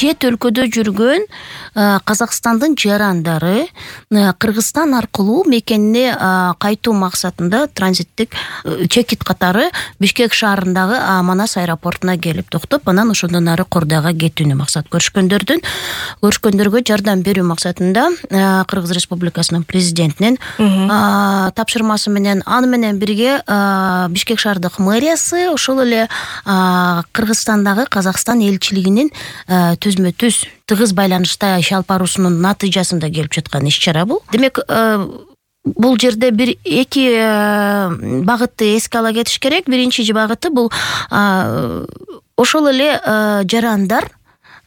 чет өлкөдө жүргөн Казакстандын жарандары Кыргызстан аркылуу мекенине кайтуу максатында транзиттик чекит катары Бишкек шаарындагы Манас аэропортуна келип токтоп, анан ошондон ары Кордайга кетүүнү максат көрүшкөндөргө жардам берүү максатында Кыргыз Республикасынын президентинин тапшырмасы менен, аны менен бирге Бишкек шаардык мэриясы, ошол эле Кыргызстандагы Казакстан элчилигинин түзмө-түз тыгыз байланышта иш алып баруусунун натыйжасында келип жаткан иш-чара бул. Демек, бул жерде бир эки багытты эске ала кетиш керек. Биринчи багыты бул ошол эле жарандар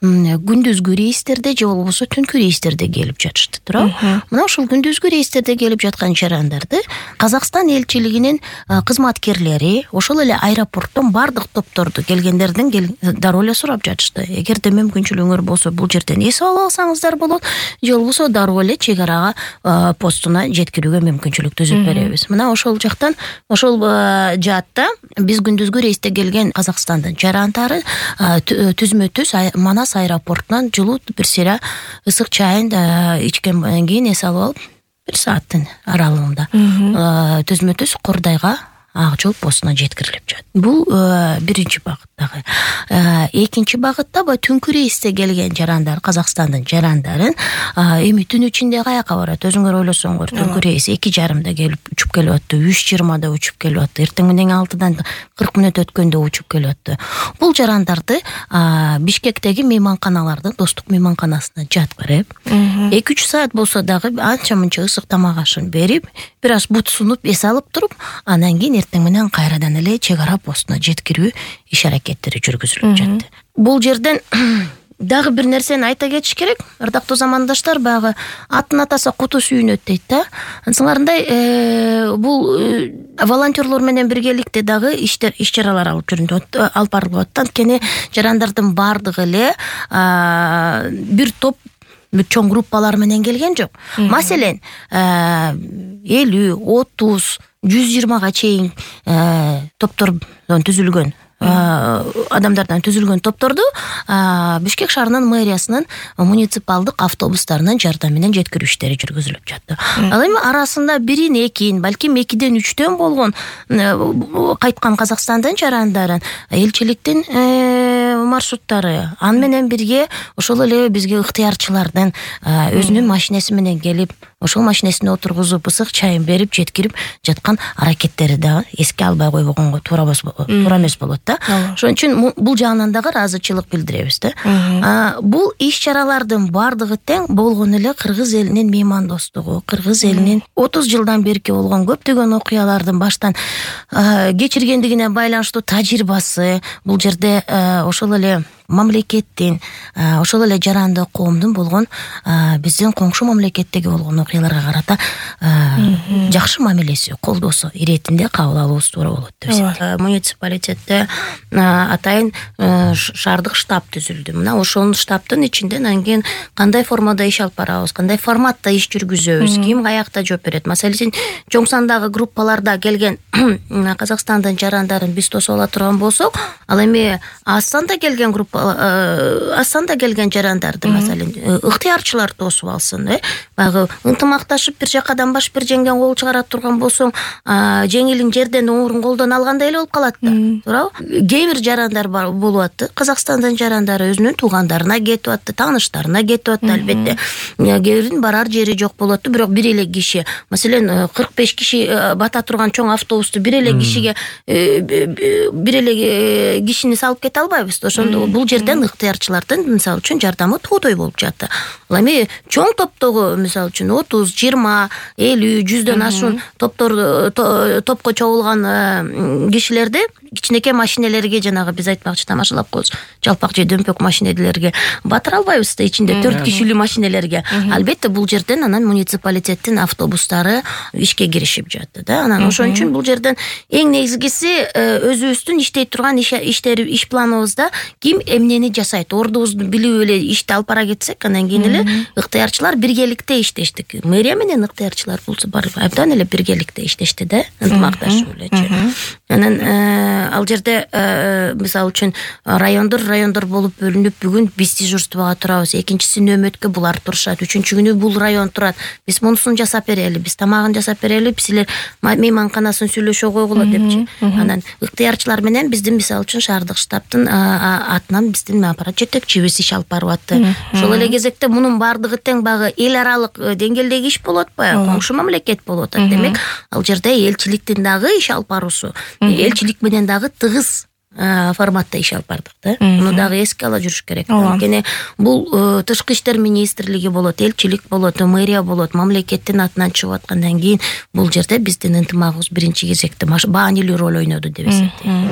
күндүзгү рейстерде же болбосо түнкү рейстерде келип жатышты, туурабы? Мына ошол күндүзгү рейстерде келип жаткан жарандарды Казакстан элчилигинин кызматкерлери ошол эле аэропорттон бардык топторду келгендердин дароо эле сурап жатышты. Эгерде мүмкүнчүлүгүңөр болсо бул жерден эсип алып алсаңыздар болот, же болбосо дароо эле чек арага постуна жеткирүүгө мүмкүнчүлүк түзүп беребиз. Мына ошол жактан, ошол жаатта биз күндүзгү рейсте келген Казакстандын жарандары түзмө-түз Манас аэропортунан жылуу бир сыйра ысык чайын ичкенден кийин эс алып алып, 1 сааттын аралыгында түзмө-түз Кордайга ак жол постуна жеткирилип жатат. Бул биринчи багыттагы. Экинчи багытта түнкү рейсте келген жарандар, Казакстандын жарандарын эми түн ичинде каяка барат? Өзүңөр ойлосоңор, түнкү рейс 2:30 келип учуп келип атты, 3:20 учуп келип атты, эртең менен 6-дан 40 мүнөт өткөндө учуп келип атты. Бул жарандарды Бишкектеги мейманканалардын достук мейманканасына жаткырып, 2-3 саат болсо дагы анча-мынча ысык тамак ашын берип, бир аз бут сунуп эс алып туруп, анан кийин эртең менен кайрадан эле чек ара постуна жеткирүү иш-аракеттери жүргүзүлүп жатты. Бул жерден дагы бир нерсени айта кетиш керек. Ардактуу замандаштар, баягы аттын атаса куту сүйүнөт дейт да. Ансыңарындай бул волонтерлор менен биргеликте дагы иш-чаралар алып барылып атат. Анткени жарандардын бардыгы эле бир топ чоң группалар менен келген жок. Маселен, 50, 30, 120га чейин топтордон түзүлгөн адамдардан түзүлгөн топторду Бишкек шаарынын мэриясынын муниципалдык автобустарынын жардамы менен жеткирүү иштери жүргүзүлүп жатты. Ал эми арасында 1-2, балким 2-3 болгон кайткан Казакстандын жарандарын элчиликтин маршруттары, аны менен бирге ошол эле бизге ыктыярчылардын өзүнүн машинеси менен келип, ошол машинесине отургузуп, ысык чайын берип жеткирип жаткан аракеттери да эске албай койбогонго туура эмес болот да. Ошон үчүн бул жагынан дагы ыраазычылык билдиребиз да. Бул иш-чаралардын бардыгы тең болгон эле Кыргыз элинин меймандостугу, Кыргыз элинин 30 жылдан берки болгон көптөгөн окуялардын баштан кечиргендигине байланыштуу тажрыйбасы, бул жерде ошол эле мамлекеттин, ошол эле жарандык коомдун болгон биздин коңшу мамлекеттеги болгон окуяларга карата жакшы мамилеси, колдоосу иретинде кабыл алуубуз туура болот деп эсептейм. Муниципалитетте атайын шаардык штаб түзүлдү. Мына ошол штабтын ичинде анан кийин кандай формада иш алып барабыз, кандай форматта иш жүргүзөбүз, ким каякта жооп берет. Маселен, чоң сандагы группаларда келген Казакстандын жарандарын биз тосуп ала турган болсок, ал эми аз санда келген аз санда келген жарандарды, маселен, ыктыярчылар тосуп алсын, баягы ынтымакташып бир жакадан баш бир жеңден кол чыгара турган болсоң, жеңилин жерден оңурун колдон алгандай эле болуп калат да, туурабы? Кээ бир жарандар болуп атты, Казакстандын жарандары өзүнүн туугандарына кетип атты, тааныштарына кетип атты, албетте. Кээ биринин барар жери жок болот, бирок бир эле киши, маселен, 45 киши бата турган чоң автобусту бир эле кишиге бир эле кишини салып кете албайбыз. Ошондо бул жерден ыктыярчылардын мисалы үчүн жардамы тоодой болуп жатты. Ал эми чоң топтогу мисалы үчүн 30, 20, 50, 100дөн ашуун топко чогулган кишилерди кичинекей машинелерге, жанагы биз айтмакчы тамашалап коебуз, жалпак же дөмпөк машинелерге батыра албайбыз да, ичинде 4 кишилүү машинелерге. Албетте бул жерден анан муниципалитеттин автобустары ишке киришип жатты да. Анан ошон үчүн бул жерден эң негизгиси өзүбүздүн иштей турган иш планыбызда ким эмнени жасайт, ордубузду билип эле ишти алып бара кетсек, анан кийин эле ыктыярчылар биргеликте иштештик. Мэрия менен ыктыярчылар булса абдан эле биргеликте иштешти да, ынтымакташып элечи. Анан ал жерде мисалы үчүн райондор болуп бөлүнүп, бүгүн биз дежурствого турабыз, экинчиси нөөмөткө булар турушат, үчүнчү күнү бул район турат, биз мунусун жасап берели, биз тамагын жасап берели, силер мейманканасын сүйлөшө койгула депчи. Анан ыктыярчылар менен биздин мисалы үчүн шаардык штабтын атынан биздин аппарат жетекчибиз иш алып барып атты. Ошол эле кезекте мунун баардыгы тең багы эл аралык деңгээлдеги иш болуп атпайбы, коңшу мамлекет болуп атат. Демек, ал жерде элчиликтин дагы иш алып баруусу, элчилик менен дагы тыгыз форматта иш алып бардык да. Муну дагы эске ала жүрүш керек. Анткени бул тышкы иштер министрлиги болот, элчилик болот, мэрия болот, мамлекеттин атынан чыгып аткандан кийин бул жерде биздин ынтымагыбыз биринчи кезекте маанилүү роль ойноду деп эсептейм.